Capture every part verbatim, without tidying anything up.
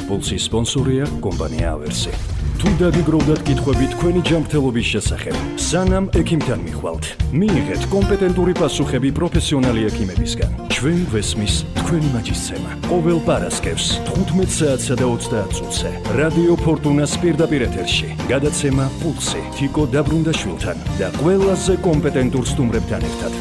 პულსის სპონსორია კომპანია ავერსი. თუ დაგიგროვდათ კითხვები თქვენი ჯანმრთელობის შესახებ, სანამ ექიმთან მიხვალთ, მიიღეთ კომპეტენტური პასუხები პროფესიონალი ექიმებისგან. ჩვენ გვესმის თქვენი მაჯისცემა. ყოველ პარასკევს თხუთმეტ საათსა და ოცდაათ წუთზე რადიო ფორტუნას პირდაპირ ეთერში გადაცემა პულსი თიკო დაბრუნდაშვილთან და ყველაზე კომპეტენტურ სტუმრებთან ერთად.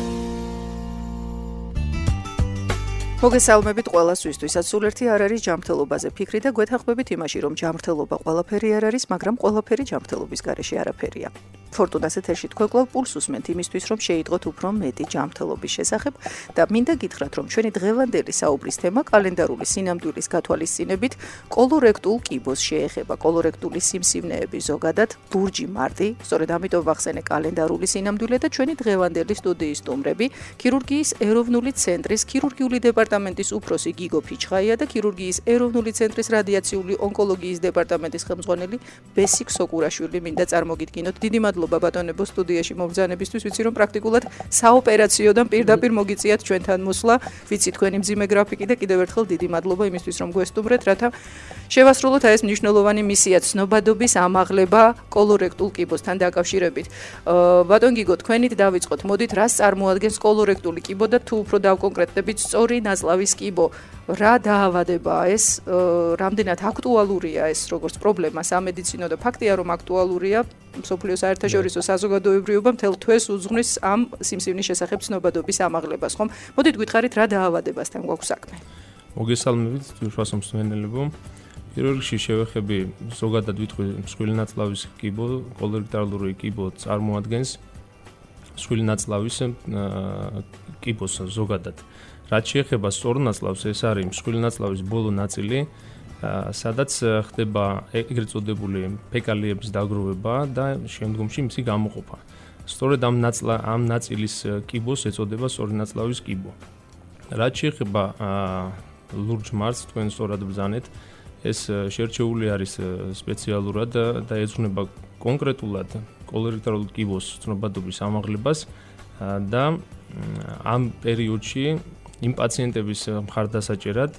მოგესალმებით ყველასთვის, სულ ერთი არ არის ჯანმრთელობაზე ფიქრი და გვეთანხმებით იმაში, რომ ჯანმრთელობა ყველაფერი არ არის, მაგრამ ყველაფერი ჯანმრთელობის გარეშე არაფერია. ფორტუნას ეთერში თქვენ კვლავ პულს უსმენთ იმისთვის, რომ შეიტყოთ უფრო მეტი ჯანმრთელობის შესახებ და მინდა გითხრათ, რომ ჩვენი დღევანდელი საუბრის თემა კალენდარული სინამდვილის გათვალისწინებით კოლორექტულ კიბოს შეეხება. კოლორექტული სიმსივნეები ზოგადად ლურჯი მარტი, სწორედ ამიტომ ვახსენე კალენდარული სინამდვილე და ჩვენი დღევანდელი სტუდიის სტუმრები, ქირურგიის ეროვნული ცენტრის ქირურგიული დეპარტამენტის უფროსი გიგო ფიჩხაია და ქირურგიის ეროვნული ცენტრის რადიაციული ონკოლოგიის დეპარტამენტის ხელმძღვანელი ბესიკ სოკურაშვილი. მინდა წარმოგიდგინოთ, დიდი მადლობა ბატონებო სტუდიაში მომბრძანებისთვის. ვიცი რომ პრაქტიკულად საოპერაციოდან პირდაპირ მოგიწიათ ჩვენთან მოსვლა. ვიცი თქვენი მძიმე გრაფიკი და კიდევ ერთხელ დიდი მადლობა იმისთვის რომ გვესტუმრეთ, რათა შევასრულოთ ეს მნიშვნელოვანი მისია ცნობადობის ამაღლება კოლორექტულ კიბოსთან დაკავშირებით. ბატონ გიგო, თქვენით დავიწყოთ. მოდით, რას წარმოადგენს კოლორექტული კიბო და თუ უფრო დავკონკრეტდებით სწორი ნაწლავის კიბო. რა დაავადებაა ეს, რამდენად აქტუალურია ეს როგორც პრობლემა სამედიცინო და ფაქტია რომ აქტუალურია მსოფლიოს საერთაშორისო საზოგადოებრივობა მთელ თვეს უძღვნის ამ სიმსივნის შესახებ ცნობადობის ამაღლებას, ხომ? მოდით გითხარით რა დაავადებასთან გვაქვს საქმე. მოგესალმებით, უშუალო მსმენელებო. პირველ რიგში შევეხები ზოგადად ვიტყვი მსხვილი ნაწლავის კიბო, კოლორექტალური კიბო წარმოადგენს მსხვილი ნაწლავის კიბოს ზოგადად. რაც შეეხება სწორ ნაწლავს, ეს არის მსხვილი ნაწლავის ბოლო ნაწილი, სადაც ხდება ეგრეთ წოდებული ფეკალიების დაგროვება და შემდგომში მისი გამოყოფა. სწორედ ამ ნაწლა ამ ნაწილის კიბოს ეწოდება სწორი ნაწლავის კიბო. რაც შეეხება ლურჯ მარტს, თქვენ სწორად ბრძანეთ, ეს შერჩეული არის სპეციალურად და ეძღვნება კონკრეტულად კოლორექტული კიბოს ცნობადობის ამაღლებას და ამ პერიოდში იმ პაციენტების მხარდასაჭერად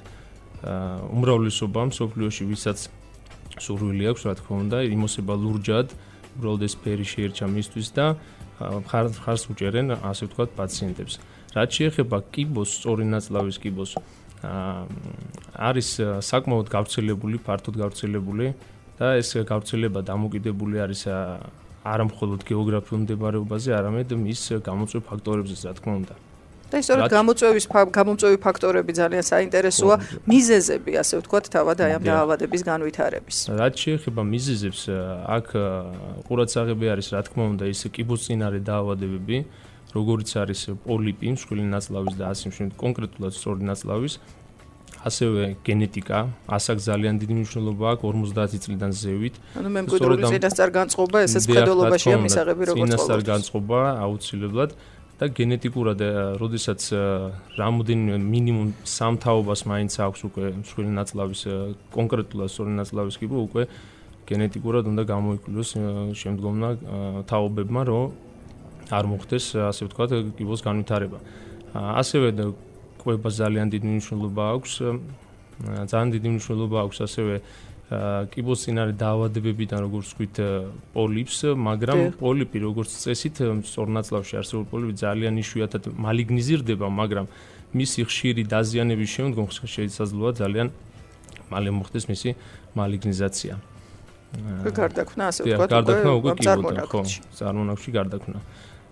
უმრავლესობა მსოფლიოში, ვისაც სურვილი აქვს, რა თქმა უნდა, იმოსება ლურჯად, უბრალოდ ეს ფერი შეერჩა მისთვის და მხარს უჭერენ, ასე ვთქვათ, პაციენტებს. რაც შეეხება კიბოს, სწორი ნაწლავის კიბოს, არის საკმაოდ გავრცელებული, ფართოდ გავრცელებული და ეს გავრცელება დამოკიდებული არის არა მხოლოდ გეოგრაფიულ მდებარეობაზე, არამედ მის გამოწვევ ფაქტორებზეც, რა თქმა უნდა. და ისწორედ გამოწვევის გამომწვევი ფაქტორები ძალიან საინტერესოა, მიზეზები, ასე ვთქვათ, თავად აი ამ დაავადების განვითარების. რაც შეეხება მიზეზებს, აქ ყურადსაღები არის, რა თქმა უნდა, ის კიბოსწინარე დაავადებები, როგორიც არის პოლიპი, მსხვილი ნაწლავის და ასე შემდეგ, კონკრეტულად სწორი ნაწლავის, ასევე გენეტიკა, ასაკ ძალიან დიდი მნიშვნელობა აქვს ორმოცდაათი წლიდან ზევით. ანუ მემკვიდრული წინასწარ განწყობა, ესეც მხედველობაშია მისაღები როგორც ყოველთვის. წინასწარ განწყობა აუცილებლად და გენეტიკურად, როდესაც რამოდენიმე მინიმუმ სამთაობას მაინც აქვს უკვე მსხვილი ნაწლავის, კონკრეტულად სწორი ნაწლავის კიბო, უკვე გენეტიკურად უნდა გამოიკვლიოს შემდგომმა თაობებმა, რომ არ მოხდეს, ასე ვთქვათ, კიბოს განვითარება. ასევე კვება ძალიან დიდი მნიშვნელობა აქვს, ძალიან დიდი მნიშვნელობა აქვს ასევე კიბოსწინარე დაავადებებიდან, როგორც ვთქვით, პოლიპს, მაგრამ პოლიპი, როგორც წესით, სწორ ნაწლავში არსებული პოლიპი ძალიან იშვიათად მალიგნიზირდება, მაგრამ მისი ხშირი დაზიანების შემდგომ შესაძლოა ძალიან მალე მოხდეს მისი მალიგნიზაცია. გარდაქმნა, ასე ვთქვათ, გარდაქმნა უკვე კიბოდან, ხო, წარმონაქმნში გარდაქმნა.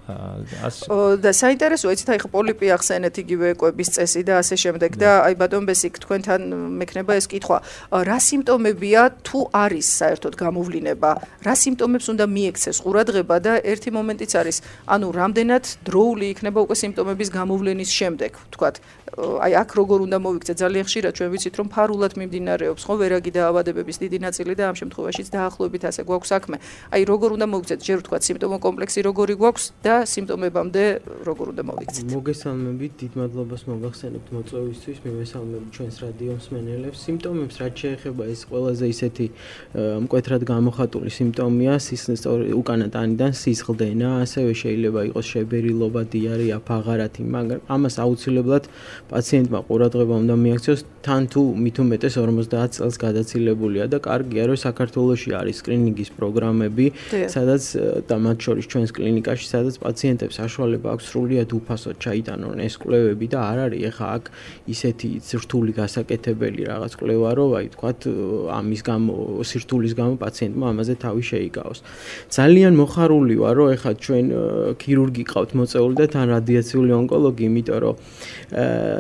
და საინტერესოა, იცით, აი ხო პოლიპი ახსენეთ, იგივე კვების წესი და ასე შემდეგ და აი ბატონ ბესიკ, თქვენთან მექნება ეს კითხვა, რა სიმპტომებია თუ არის საერთოდ გამოვლინება, რა სიმპტომებს უნდა მიექცეს ყურადღება და ერთი მომენტიც არის, ანუ რამდენად დროული იქნება უკვე სიმპტომების გამოვლენის შემდეგ, ვთქვათ, აი აქ როგორ უნდა მოვიქცეთ, ძალიან ხშირად ჩვენ ვიცით, რომ ფარულად მიმდინარეობს, ხო, ვერაგი დაავადებების დიდი ნაწილი და ამ შემთხვევაშიც დაახლოებით ასე გვაქვს საქმე. აი როგორ უნდა მოვიქცეთ, ჯერ ვთქვათ, სიმპტომო კომპლექსი როგორი გვაქვს და სიმპტომებამდე როგორ უნდა მოვიქცეთ. მოგესალმებით, დიდ მადლობას მოგახსენებთ მოწვევისთვის, მივესალმებით ჩვენს რადიო მსმენელებს. სიმპტომებს რაც შეეხება ეს ყველაზე ისეთი მკვეთრად გამოხატული სიმპტომია, სისხლის უკანა ტანიდან სისხლდენა, ასევე შეიძლება იყოს შებერილობა, დიარეა, ფაღარათი, მაგრამ ამას აუცილებლად პაციენტმა ყურადღება უნდა მიაქციოს, თან თუ მით უმეტეს ორმოცდაათ წელს გადაცილებულია და კარგია რომ საქართველოში არის სკრინინგის პროგრამები, სადაც და მათ შორის ჩვენს კლინიკაში, სადაც პაციენტებს საშუალება აქვს სრულიად უფასოდ ჩაიტანონ ეს კვლევები და არ არის ეხა აქ ისეთი რთული გასაკეთებელი რაღაც კვლევა, რომ აი თქვათ ამის გამო სირთულის გამო პაციენტმა ამაზე თავი შეიკავოს. ძალიან მოხარული ვარ, რომ ეხა ჩვენ ქირურგი ყავთ მოწეული და თან რადიაციული ონკოლოგი, იმიტომ რომ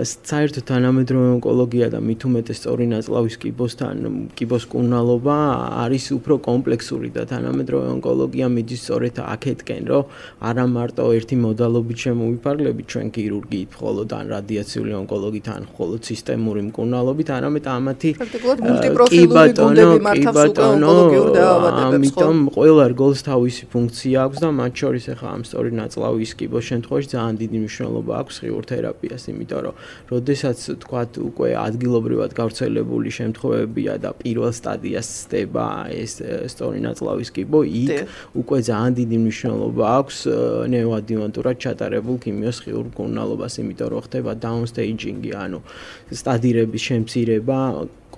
საერთო თანამედროვე ონკოლოგია და მით უმეტეს სწორი ნაწლავის კიბოსთან კიბოს კუნალობა არის უფრო კომპლექსური და თანამედროვე ონკოლოგია მიდის სწორედ აქეთკენ, რომ არა მარტო ერთი მოდალობით შემოვიფარგლებით ჩვენ ქირურგიით, მხოლოდ ან რადიაციული ონკოლოგით, ან მხოლოდ სისტემური მკურნალობით, არამედ ამათი პრაქტიკულად მულტიპროფილური გუნდები მართავს უკვე ონკოლოგიურ დაავადებებს. ამიტომ ყველა რგოლს თავისი ფუნქცია აქვს და მათ შორის ახლა ამ სწორი ნაწლავის კიბოს შემთხვევაში ძალიან დიდი მნიშვნელობა აქვს ღიურ თერაპიას, იმიტომ რომ როდესაც თქვათ უკვე ადგილობრივად გავრცელებული შემთხვევებია და პირველ სტადიას სდება ეს სწორი ნაწლავის კიბო, იქ უკვე ძალიან დიდი მნიშვნელობა აქვს ნეოადიუვანტურად ჩატარებულ ქიმიოს ღიურ მკურნალობას, იმიტომ რომ ხდება დაუნსტეიჯინგი, ანუ სტადირების შემცირება,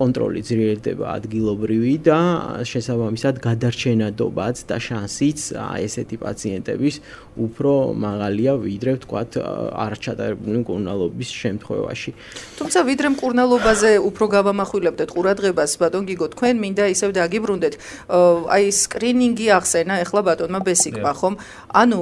კონტროლი ძლიერდება ადგილობრივი და შესაბამისად გადარჩენადობაც და შანსიც ესეთი პაციენტების უფრო მაღალია ვიდრე ვთქვათ არ ჩატარებული მკურნალობის შემთხვევაში. თუმცა ვიდრე მკურნალობაზე უფრო გავამახვილებდეთ ყურადღებას, ბატონ გიგო, თქვენ მინდა ისევ დაგიბრუნდეთ, აი სკრინინგი ახსენა ეხლა ბატონმა ბესიკმა, ხომ? ანუ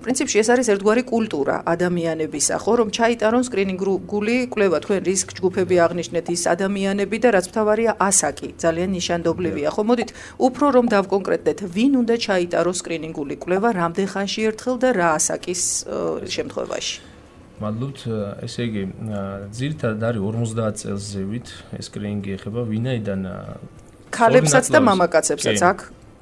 პრინციპში ეს არის ერთგვარი კულტურა ადამიანებისა, ხო, რომ ჩაიტარონ სკრინინგული კვლევა, თქვენ რისკ ჯგუფები აღნიშნეთ, ის ადამიანები და რაც მთავარია ასაკი, ძალიან ნიშანდობლივია. ხო, მოდით უფრო რომ დავკონკრეტდეთ, ვინ უნდა ჩაიტაროს სკრინინგული კვლევა, რამდენ ხანში ერთხელ და რა ასაკის შემთხვევაში? მადლობთ, ესე იგი, ძირითადად არის ორმოცდაათ წელს ზევით, ეს სკრინინგი ეხება ვინაიდან ქალებსაც და მამაკაცებსაც აქ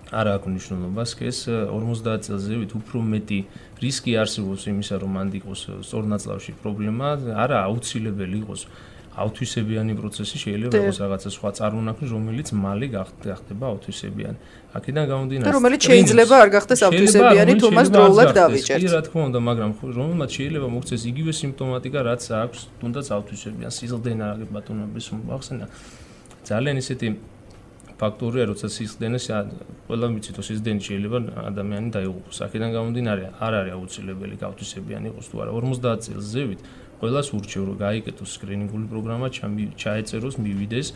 არა აქვს მნიშვნელობას, ეს ორმოცდაათ წელს ზევით უფრო მეტი რისკი არსებობს იმისა, რომ მანდ იყოს სწორ ნაწლავში პრობლემა, არა აუცილებელი იყოს ავთვისებიანი პროცესი, შეიძლება იყოს რაღაცა სხვა წარმონაქმნი, რომელიც მალე გახდება ავთვისებიანი. აქედან გამომდინარე, და რომელიც შეიძლება არ გახდეს ავთვისებიანი, თუ მას დროულად დავიჭერთ. კი, რა თქმა უნდა, მაგრამ რომელმაც შეიძლება მოქცეს იგივე სიმპტომატიკა, რაც აქვს თუნდაც ავთვისებიან, სისხლდენა, ბატონო ბესო ახსენა. ძალიან ისეთი ფაქტორია, როცა სისხლდენა, ყველა ვიცით, რომ სისხლდენი შეიძლება ადამიანი დაიღუპოს. აქედან გამომდინარე, არ არის აუცილებელი გავთვისებიანი იყოს თუ არა. ორმოცდაათ წელს ზევით ყველას ურჩევ, რომ გაიკეთოს სკრინინგული პროგრამა, ჩაეწეროს, მივიდეს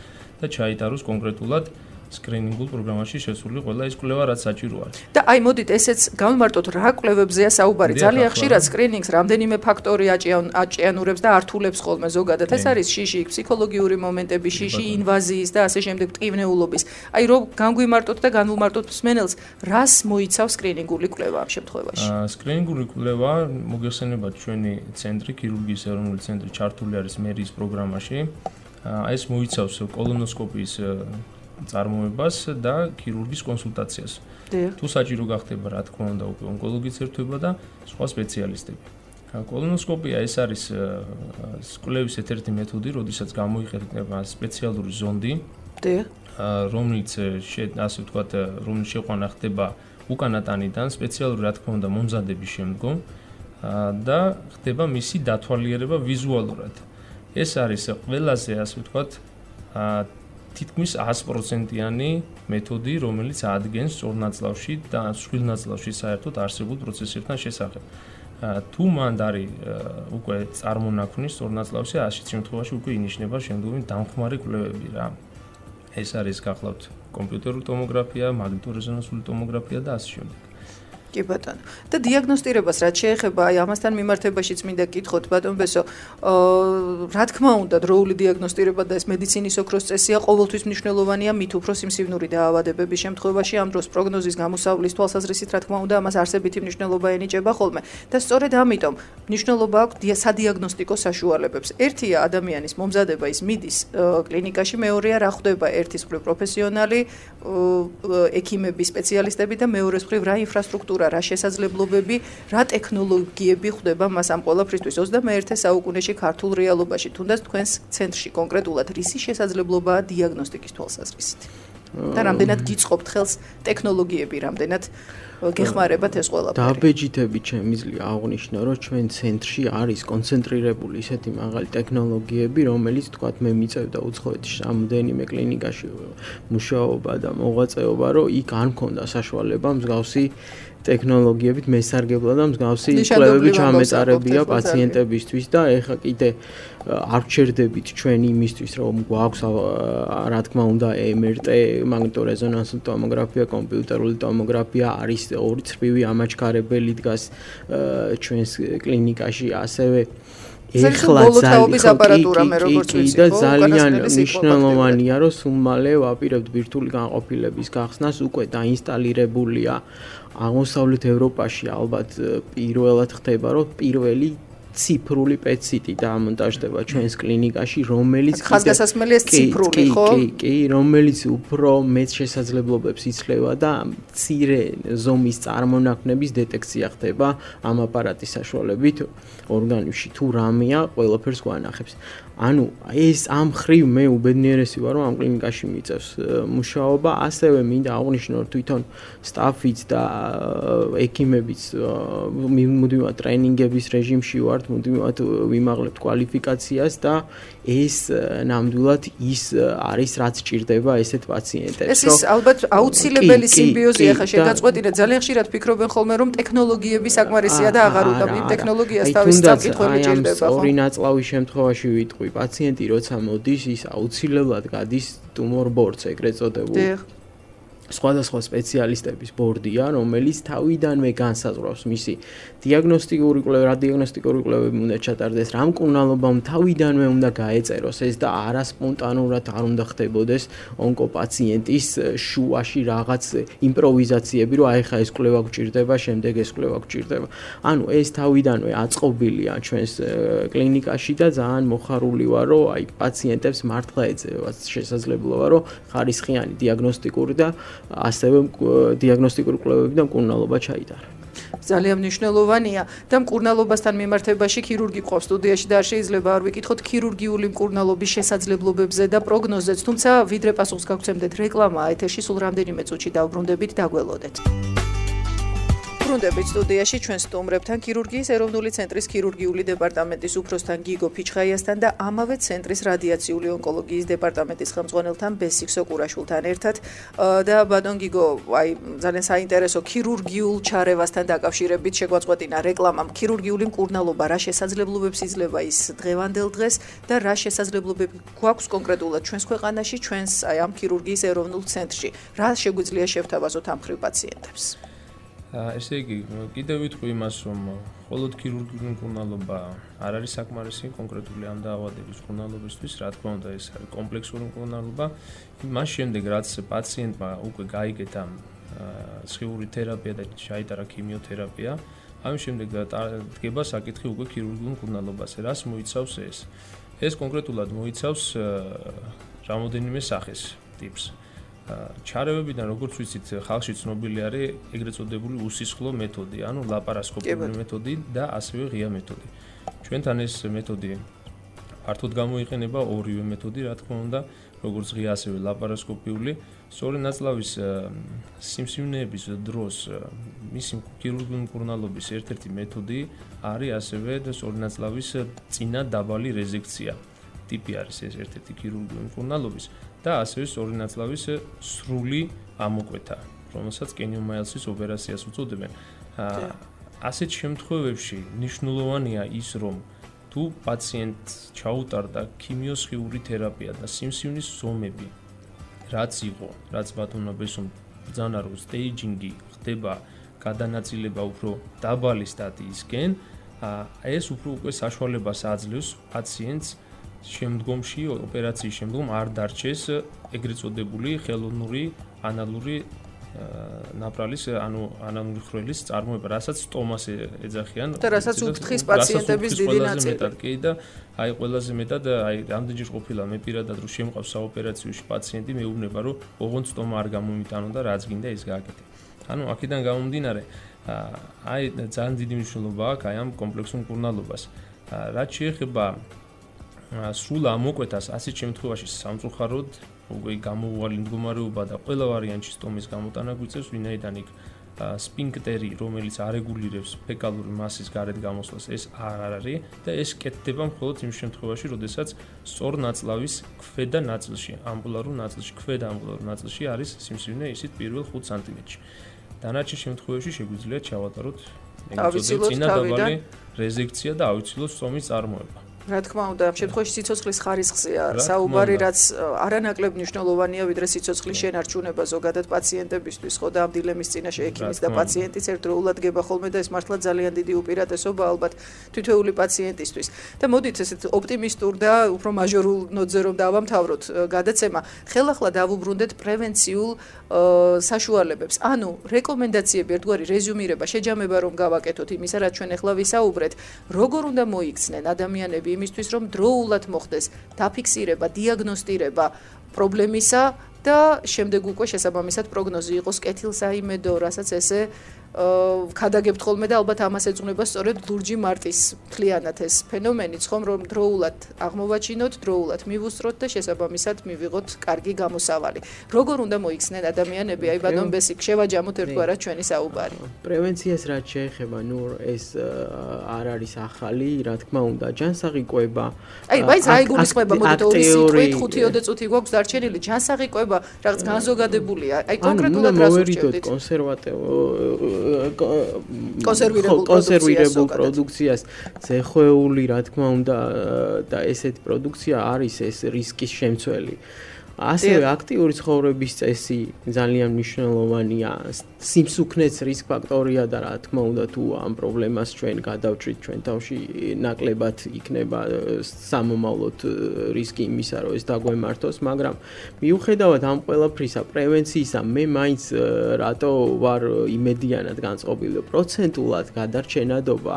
და ჩაიტაროს კონკრეტულად სკრინინგულ პროგრამაში შესული ყველა ის კვლევა, რაც საჭირო არის. და აი მოდით ესეც გავიმარტოთ რა კვლევებზეა საუბარი. ძალიან ხშირად სკრინინგს რამდენიმე ფაქტორი აჭიანურებს და ართულებს ხოლმე ზოგადად. ეს არის შიში, ფსიქოლოგიური მომენტები, შიში ინვაზიის და ასე შემდეგ ტკივნეულობის. აი რომ განგვიმარტოთ და განვუმარტოთ მსმენელს, რას მოიცავს სკრინინგული კვლევა ამ შემთხვევაში? სკრინინგული კვლევა მოგეხსენებათ ჩვენი ცენტრი, ქირურგიის ეროვნული ცენტრი ჩართული არის მერიის პროგრამაში. ეს მოიცავს კოლონოსკოპიის წარმოებას და ქირურგის კონსულტაციას. თუ საჭირო გახდება, რა თქმა უნდა, უკვე ონკოლოგის ერთობა და სხვა სპეციალისტები. კოლონოსკოპია ეს არის კვლევის ერთ-ერთი მეთოდი, როდესაც გამოიყენება სპეციალური ზონდი, რომელიც ასე ვთქვათ, რომელიც შეყვანა ხდება უკანა ტანიდან სპეციალური, რა თქმა უნდა, მომზადების შემდგომ და ხდება მისი დათვალიერება ვიზუალურად. ეს არის ყველაზე, ასე ვთქვათ, თითქმის ას პროცენტიანი მეთოდი, რომელიც ადგენს სწორ ნაწლავში და მსხვილ ნაწლავში საერთოდ არსებულ პროცესებთან შესახებ. თუ მანდ არის უკვე წარმონაქმნი სწორ ნაწლავში, ასეთ შემთხვევაში უკვე ინიშნება შემდგომი დამხმარე კვლევები რა. ეს არის გახლავთ კომპიუტერული ტომოგრაფია, მაგნიტორეზონანსული ტომოგრაფია და ასე შემდეგ. კი ბატონო. და დიაგნოსტირებას რაც შეეხება, აი ამასთან მიმართებაშიც მინდა გითხოთ ბატონ ბესო, რა თქმა უნდა, დროული დიაგნოსტირება და ეს მედიცინის ოქროს წესია ყოველთვის მნიშვნელოვანია, მით უფრო სიმსივნური დაავადებების შემთხვევაში, ამ დროს პროგნოზის გამოსავლის თვალსაზრისით, რა თქმა უნდა, ამას არსებითი მნიშვნელობა ენიჭება ხოლმე. და სწორედ ამიტომ მნიშვნელობა აქვს სადიაგნოსტიკო საშუალებებს. ერთია ადამიანის მომზადება, ის მიდის კლინიკაში, მეორეა რა ხდება ერთის მხრივ პროფესიონალი ექიმები, სპეციალისტები და მეორეს მხრივ რა ინფრასტრუქტურა რა რა შესაძლებლობები, რა ტექნოლოგიები ხვდება მას ამ ყველაფრისთვის ოცდამეერთე საუკუნეში ქართულ რეალობაში, თუნდაც თქვენს ცენტრში კონკრეტულად რისი შესაძლებლობაა დიაგნოსტიკის თვალსაზრისით. და რამდენად გიწყობთ ხელს ტექნოლოგიები, რამდენად გეხმარებათ ეს ყველაფერი. დაბეჯითებით შემიძლია აღვნიშნო, რომ ჩვენ ცენტრში არის კონცენტრირებული ისეთი მაღალი ტექნოლოგიები, რომელიც თქვათ მე მიწევდა უცხოეთში რამდენიმე კლინიკაში მუშაობა და მოღვაწეობა, რომ იქ არ მქონდა საშუალება მსგავსი ტექნოლოგიებით მესარგებლად და მსგავსი კვლევები ჩამეწარებია პაციენტებისთვის და ეხლა კიდე არ ვჩერდებით ჩვენ იმისთვის, რომ გვაქვს რა თქმა უნდა ემ ერ ტე, მაგნიტორეზონანსული ტომოგრაფია, კომპიუტერული ტომოგრაფია არის ორი ცრფივი ამაჩქარებელი დგას ჩვენს კლინიკაში, ასევე ეხლა ძალიან მნიშვნელოვანია, რომ სულ მალე ვაპირებთ ბირთვული განყოფილების გახსნას, უკვე დაინსტალირებულია აღმოსავლეთ ევროპაში ალბათ პირველად ხდება, რომ პირველი ციფრული პეტ-სიტი დამონტაჟდება ჩვენს კლინიკაში, რომელიც ხაზგასასმელი ეს ციფრული, ხო? კი, კი, რომელიც უფრო მეც შესაძლებლობებს იძლევა და მცირე ზომის წარმონაქმნების დეტექცია ხდება ამ აპარატის საშუალებით ორგანიზმში. თუ რამეა, ყველაფერს გვანახებს. ანუ ეს ამ ხრივ მე უბედნიერესი ვარ, რომ ამ კლინიკაში მიწევს მუშაობა, ასევე მინდა აღვნიშნო, რომ თვითონ სტაფიც და ექიმებიც მუდმივად ტრენინგების რეჟიმში ვართ, მუდმივად ვიმაღლებთ კვალიფიკაციას და ეს ნამდვილად ის არის, რაც ჭირდება ესეთ პაციენტებს. ეს ის ალბათ აუცილებელი სიმბიოზია, ხა შეგაწყვეტინეთ, ძალიან ხშირად ფიქრობენ ხოლმე, რომ ტექნოლოგიები საკმარისია და აღარ უნდა იმ ტექნოლოგიას თავის საკითხები ჭირდება, ხო? ორი ნაწლავის შემთხვევაში ვიტყვი პაციენტი როცა მოდის, ის აუცილებლად გადის ტუმორ ბორდს, ეგრეთ წოდებულ. სხვადასხვა სპეციალისტების ბორდია, რომელიც თავიდანვე განსაზღვრავს მისი დიაგნოსტიკური კვლევა, რა დიაგნოსტიკური კვლევები უნდა ჩატარდეს, რა მკურნალობამ თავიდანვე უნდა გაეწეროს ეს და არა სპონტანურად არ უნდა ხდებოდეს ონკოპაციენტის შუაში რაღაც იმპროვიზაციები, რომ აი ხა ეს კვლევა გვჭირდება, შემდეგ ეს კვლევა გვჭირდება. ანუ ეს თავიდანვე აწყობილია ჩვენს კლინიკაში და ძალიან მოხარული ვარ, რომ აი პაციენტებს მართლა ეძება შესაძლებლობა, რომ ხარისხიანი დიაგნოსტიკური და ასევე დიაგნოსტიკური კვლევები და მკურნალობა ჩაიტარა. ძალიან მნიშვნელოვანია და მკურნალობასთან მიმართებაში ქირურგი ყავს სტუდიაში და არ შეიძლება არ ვიკითხოთ ქირურგიული მკურნალობის შესაძლებლობებზე და პროგნოზებს, თუმცა ვიდრე პასუხს გაგცემდეთ რეკლამაა ეთერში, სულ რამდენიმე წუთში დავბრუნდებით, დაგველოდეთ. ბრუნდებით სტუდიაში ჩვენ სტუმრებთან ქირურგიის ეროვნული ცენტრის ქირურგიული დეპარტამენტის უფროსთან გიგო ფიჩხაიასთან და ამავე ცენტრის რადიაციული ონკოლოგიის დეპარტამენტის ხელმძღვანელთან ბესიქსო კურაშვილთან ერთად და ბატონ გიგო, აი ძალიან საინტერესო ქირურგიულ ჩარევასთან დაკავშირებით შეგვაწყვეტინა რეკლამამ ქირურგიული მკურნალობა რა შესაძლებლობებს იძლევა ის დღევანდელ დღეს და რა შესაძლებლობები გვაქვს კონკრეტულად ჩვენს ქვეყანაში, ჩვენს აი ამ ქირურგიის ეროვნულ ცენტრში. რა შეგვიძლია შევთავაზოთ ამ ხრივ პაციენტებს? ესე იგი, კიდევ ვიტყვი იმას, რომ მხოლოდ ქირურგიული მკურნალობა არ არის საკმარისი კონკრეტული ამ დაავადების მკურნალობისთვის, რა თქმა უნდა, ეს არის კომპლექსური მკურნალობა. მას შემდეგ, რაც პაციენტმა უკვე გაიგეთა სხიური თერაპია და ჩაიტარა ქიმიოთერაპია, ამის შემდეგ დგება საკითხი უკვე ქირურგიულ მკურნალობაზე. რას მოიცავს ეს? ეს კონკრეტულად მოიცავს რამოდენიმე სახეს, ტიპს. ჩარევებიდან როგორც ვიცით ხალხში ცნობილი არის ეგრეთ წოდებული უსისხლო მეთოდი, ანუ ლაპარასკოპიული მეთოდი და ასევე ღია მეთოდი. ჩვენთან ეს მეთოდი ფართოდ გამოიყენება ორივე მეთოდი, რა თქმა უნდა, როგორც ღია ასევე ლაპარასკოპიული. სწორი ნაწლავის სიმსივნეების დროს მისი ქირურგიული მკურნალობის ერთ-ერთი მეთოდი არის ასევე სწორი ნაწლავის წინა დაბალი რეზექცია. ტიპი არის ეს ერთ-ერთი ქირურგიული მკურნალობის და ასევე სწორი ნაწლავის სრული ამოკვეთა, რომელსაც კენიომაილსის ოპერაციას უწოდებენ. ასეთ შემთხვევებში მნიშვნელოვანია ის, რომ თუ პაციენტს ჩაუტარდა ქიმიოსხიური თერაპია და სიმსივნის ზომები, რაც იყო, რაც ბატონმა ბესომ ბრძანა რომ სტეიჯინგი ხდება გადანაწილება უფრო დაბალი სტადიისკენ, ეს უფრო უკვე საშუალებას აძლევს პაციენტს შემდგომში ოპერაციის შემდგომ არ დარჩეს ეგრეთ წოდებული ხელოვნური ანალური ნაპრალის, ანუ ანალური ხრელის წარმოება, რასაც სტომას ეძახიან და რასაც უფრთხის პაციენტების დიდი ნაწილი. კი და აი ყველაზე მეტად აი რამდენჯერ ყოფილა მე პირადად რომ შემყავს საოპერაციოში პაციენტი, მეუბნება რომ ოღონდ სტომა არ გამომიტანო და რაც გინდა ის გააკეთე. ანუ აქედან გამომდინარე აი ძალიან დიდი მნიშვნელობა აქვს აი ამ კომპლექსურ მკურნალობას. რაც შეეხება სრულ ამოკვეთას, ასეთ შემთხვევაში სამწუხაროდ უკვე გამოუვალი მდგომარეობა და ყველა ვარიანტში სტომის გამოტანა გვიწევს, ვინაიდან იქ სფინქტერი, რომელიც არეგულირებს ფეკალური მასის გარეთ გამოსვლას, ეს არ არის და ეს კეთდება მხოლოდ იმ შემთხვევაში, როდესაც სწორ ნაწლავის ქვედა ნაწილში, ამბულარულ ნაწილში, ქვედა ამბულარულ ნაწილში არის სიმსივნე ისიც პირველ ხუთ სანტიმეტრში. დანარჩენ შემთხვევაში შეგვიძლია ჩავატაროთ წინადავალი რეზექცია და ავიცილოთ სტომის წარმოება. რა თქმა უნდა, ამ შემთხვევაში სიცოცხლის ხარისხზეა საუბარი, რაც არანაკლებ მნიშვნელოვანია, ვიდრე სიცოცხლის შენარჩუნება ზოგადად პაციენტებისთვის, ხო და ამ დილემის წინაშე ექიმის და პაციენტის ერთდროულად გება ხოლმე და ეს მართლა ძალიან დიდი უპირატესობა ალბათ თითოეული პაციენტისთვის. და მოდით ესეთ ოპტიმისტურ და უფრო მაჟორულ ნოტზე რომ დავამთავროთ გადაცემა, ხელახლა დავუბრუნდეთ პრევენციულ საშუალებებს. ანუ რეკომენდაციები, ერთგვარი რეზიუმირება, შეჯამება რომ გავაკეთოთ იმისა, რაც ჩვენ ახლა ვისაუბრეთ, როგორ უნდა მოიქცნენ ადამიანები იმისთვის რომ დროულად მოხდეს დაფიქსირება, დიაგნოსტირება პრობლემისა და შემდეგ უკვე შესაბამისად პროგნოზი იყოს კეთილსაიმედო, რასაც ესე ქადაგებთ ხოლმე და ალბათ ამას ეძღვნება სწორედ ლურჯი მარტის მთლიანად ეს ფენომენიც ხომ რომ დროულად აღმოვაჩინოთ, დროულად მივუსწროთ და შესაბამისად მივიღოთ კარგი გამოსავალი. როგორ უნდა მოიქცნენ ადამიანები, აი ბატონ ბესიკ, შევაჯამოთ ერთგვარად ჩვენი საუბარი. პრევენციას რაც შეეხება, ნუ ეს არ არის ახალი, რა თქმა უნდა, ჯანსაღი კვება. აი, բայց რა იგულისხმება, მოდით ორი სიტყვით, ხუთი ოცი წუთი გვაქვს დარჩენილი, ჯანსაღი კვება რაღაც განზოგადებულია. აი კონკრეტულად რას ურჩევდით? კონსერვატიულ კონსერვირებულ პროდუქციას ზეხვეული, რა თქმა უნდა, და ესეთი პროდუქცია არის ეს რისკის შემცველი. ასევე აქტიური ცხოვრების წესი ძალიან მნიშვნელოვანია. სიმსუქნეც რისკ ფაქტორია და რა თქმა უნდა თუ ამ პრობლემას ჩვენ გადავჭრით ჩვენ თავში ნაკლებად იქნება სამომავლოდ რისკი იმისა, რომ ეს დაგვემართოს, მაგრამ მიუხედავად ამ ყველაფრისა, პრევენციისა, მე მაინც რატო ვარ იმედიანად განწყობილი, პროცენტულად გადარჩენადობა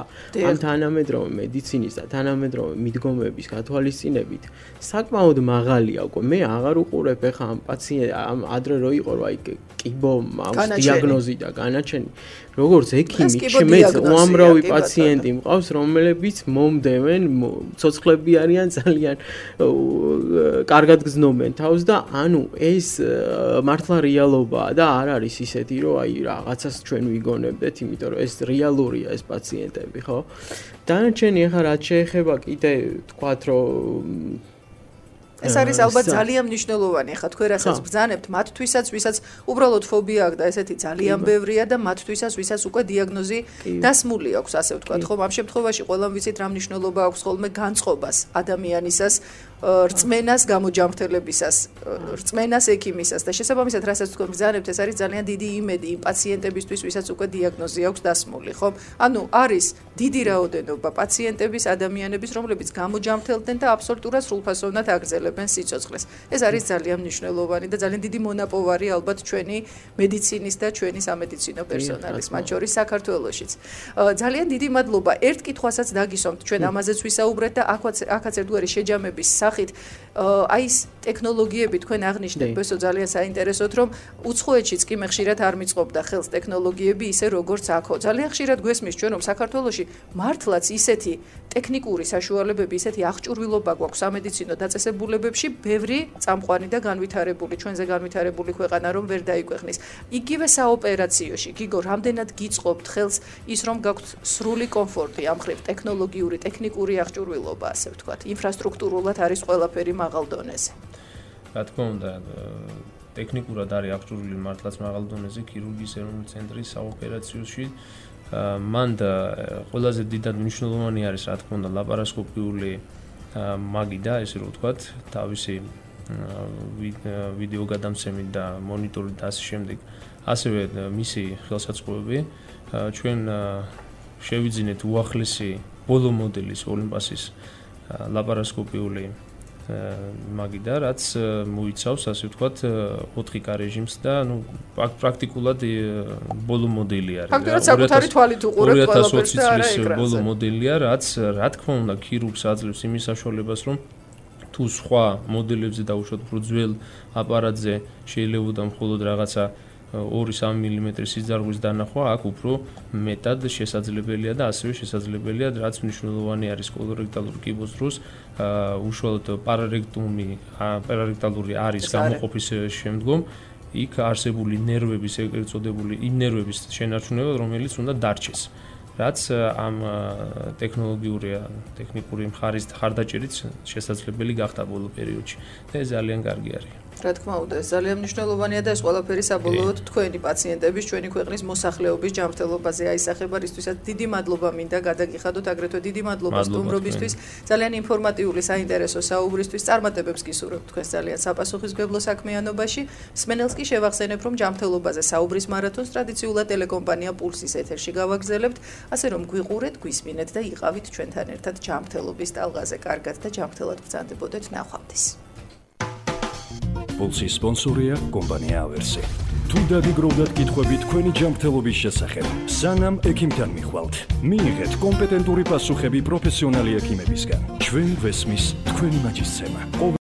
ამ თანამედროვე მედიცინის და თანამედროვე მიდგომების გათვალისწინებით საკმაოდ მაღალია უკვე. მე აღარ უყურებ ეხა ამ პაციენტ ამ ადრე რო იყო რა იქ კიბო მაქვს დიაგნოზი და განაჩენი. როგორც ექიმი შემეც უამრავი პაციენტი მყავს, რომლებიც მომდევენ, ცოცხლები არიან, ძალიან კარგად გზნობენ თავს და ანუ ეს მართლა რეალობაა და არ არის ისეთი, რომ აი რაღაცას ჩვენ ვიგონებდეთ, იმიტომ რომ ეს რეალურია ეს პაციენტები, ხო? დანარჩენი ეხა რაც შეეხება კიდე თქვათ, რომ ეს არის ალბათ ძალიან მნიშვნელოვანი, ხა თქვენ რასაც ბრძანებთ, მათთვისაც, ვისაც უბრალოდ ფობია აქვს და ესეთი ძალიან ბევრია და მათთვისაც, ვისაც უკვე დიაგნოზი დასმული აქვს, ასე ვთქვათ, ხომ? ამ შემთხვევაში ყველამ ვიცით რა მნიშვნელობა აქვს ხოლმე განწყობას ადამიანისას, რწმენას გამოჯამრთელებისას, რწმენას ექიმისას და შესაბამისად, რასაც თქვენ ბრძანებთ, ეს არის ძალიან დიდი იმედი იმ პაციენტებისთვის, ვისაც უკვე დიაგნოზი აქვს დასმული, ხომ? ანუ არის დიდი რაოდენობა პაციენტების, ადამიანების, რომლებიც გამოჯამრთელდნენ და აბსოლუტურად სრულფასოვნად აგრძელებენ სიცოცხლეს. ეს არის ძალიან მნიშვნელოვანი და ძალიან დიდი მონაპოვარი ალბათ ჩვენი მედიცინის და ჩვენი სამედიცინო პერსონალის, მათ შორის საქართველოშიც. ძალიან დიდი მადლობა. ერთ კითხვასაც დაგისვამთ, ჩვენ ამაზეც ვისაუბრეთ და აქაც აქაც ერთგვარი შეჯამების სახით აი ეს ტექნოლოგიები თქვენ აღნიშნეთ, ბესო ძალიან საინტერესოდ, რომ უცხოეთშიც კი მე ხშირად არ მიწყობდა ხელს ტექნოლოგიები ისე როგორც აქო. ძალიან ხშირად გვესმის ჩვენ რომ საქართველოში მართლაც ისეთი ტექნიკური საშუალებები, ისეთი აღჭურვილობა გვაქვს სამედიცინო დაწესებულებებში, ბევრი წამყვანი და განვითარებული, ჩვენზე განვითარებული ქვეყანა რომ ვერ დაიქვეყნის. იგივე საოპერაციოში, გიგო, რამდენად გიწყობთ ხელს ის რომ გაქვთ სრული კომფორტი ამ ხრივ ტექნოლოგიური, ტექნიკური აღჭურვილობა, ასე ვთქვათ, ინფრასტრუქტურულად არის ყველაფერი მაღალ დონეზე. რა თქმა უნდა, ტექნიკურად არის აღჭურვილი მართლაც მაღალ დონეზე ქირურგიის ეროვნული ცენტრის საოპერაციოში. მან და ყველაზე დიდად მნიშვნელოვანი არის, რა თქმა უნდა, ლაპარასკოპიული მაგიდა, ესე რომ ვთქვათ, თავისი ვიდეო გადამცემით და მონიტორით და ასე შემდეგ. ასევე მისი ხელსაწყოები ჩვენ შევიძინეთ უახლესი ბოლო მოდელის ოლიმპასის ლაპარასკოპიული მაგიდა, რაც მოიცავს, ასე ვთქვათ, ოთხი კა რეჟიმს და ნუ პრაქტიკულად ბოლო მოდელი არის. ფაქტობრივად საკუთარი თვალით უყურებთ ყველაფერს და არა ეკრანზე. ბოლო მოდელია, რაც რა თქმა უნდა ქირურგს აძლევს იმის საშუალებას, რომ თუ სხვა მოდელებზე დაუშვათ უფრო ძველ აპარატზე შეიძლებოდა მხოლოდ რაღაცა ორი სამი მილიმეტრის სიძარღვის დანახვა აქ უფრო მეტად შესაძლებელია და ასევე შესაძლებელია, რაც მნიშვნელოვანი არის კოლორექტალური კიბოს დროს, უშუალოდ პარარექტუმი, პარარექტალური არის გამოყოფის შემდგომ იქ არსებული ნერვების, ეგრეთ წოდებული იმ ნერვების შენარჩუნება, რომელიც უნდა დარჩეს. რაც ამ ტექნოლოგიური ტექნიკური მხარის ხარდაჭერით შესაძლებელი გახდა ბოლო პერიოდში და ეს ძალიან კარგი არის. რა თქმა უნდა, ეს ძალიან მნიშვნელოვანია და ეს ყველაფერი საბოლოოდ თქვენი პაციენტების, ჩვენი ქვეყნის მოსახლეობის ჯანმრთელობაზე აისახება, რისთვისაც დიდი მადლობა მინდა გადაგიხადოთ, აგრეთვე დიდი მადლობა სტუმრობისთვის, ძალიან ინფორმატიული, საინტერესო საუბრისთვის, წარმატებებს გისურვებთ თქვენს ძალიან საპასუხისმგებლო საქმიანობაში. მსმენელს კი შევახსენებ, რომ ჯანმრთელობაზე საუბრის მარათონს ტრადიციულად ტელეკომპანია პულსის ეთერში გავაგრძელებთ, ასე რომ გვიყურეთ, გვისმინეთ და იყავით ჩვენთან ერთად ჯანმრთელობის ტალღაზე. კარგად და ჯანმრთელად გრძანდებოდეთ, ნახვამდის. Pulsi sponsoria კომპანია ავერსი. თუ დაგიგროვდათ კითხვები თქვენი ჯანმრთელობის შესახებ, სანამ ექიმთან მიხვალთ, მიიღეთ კომპეტენტური პასუხები პროფესიონალი ექიმებისგან. ჩვენ გვესმის თქვენი მაჯისცემა.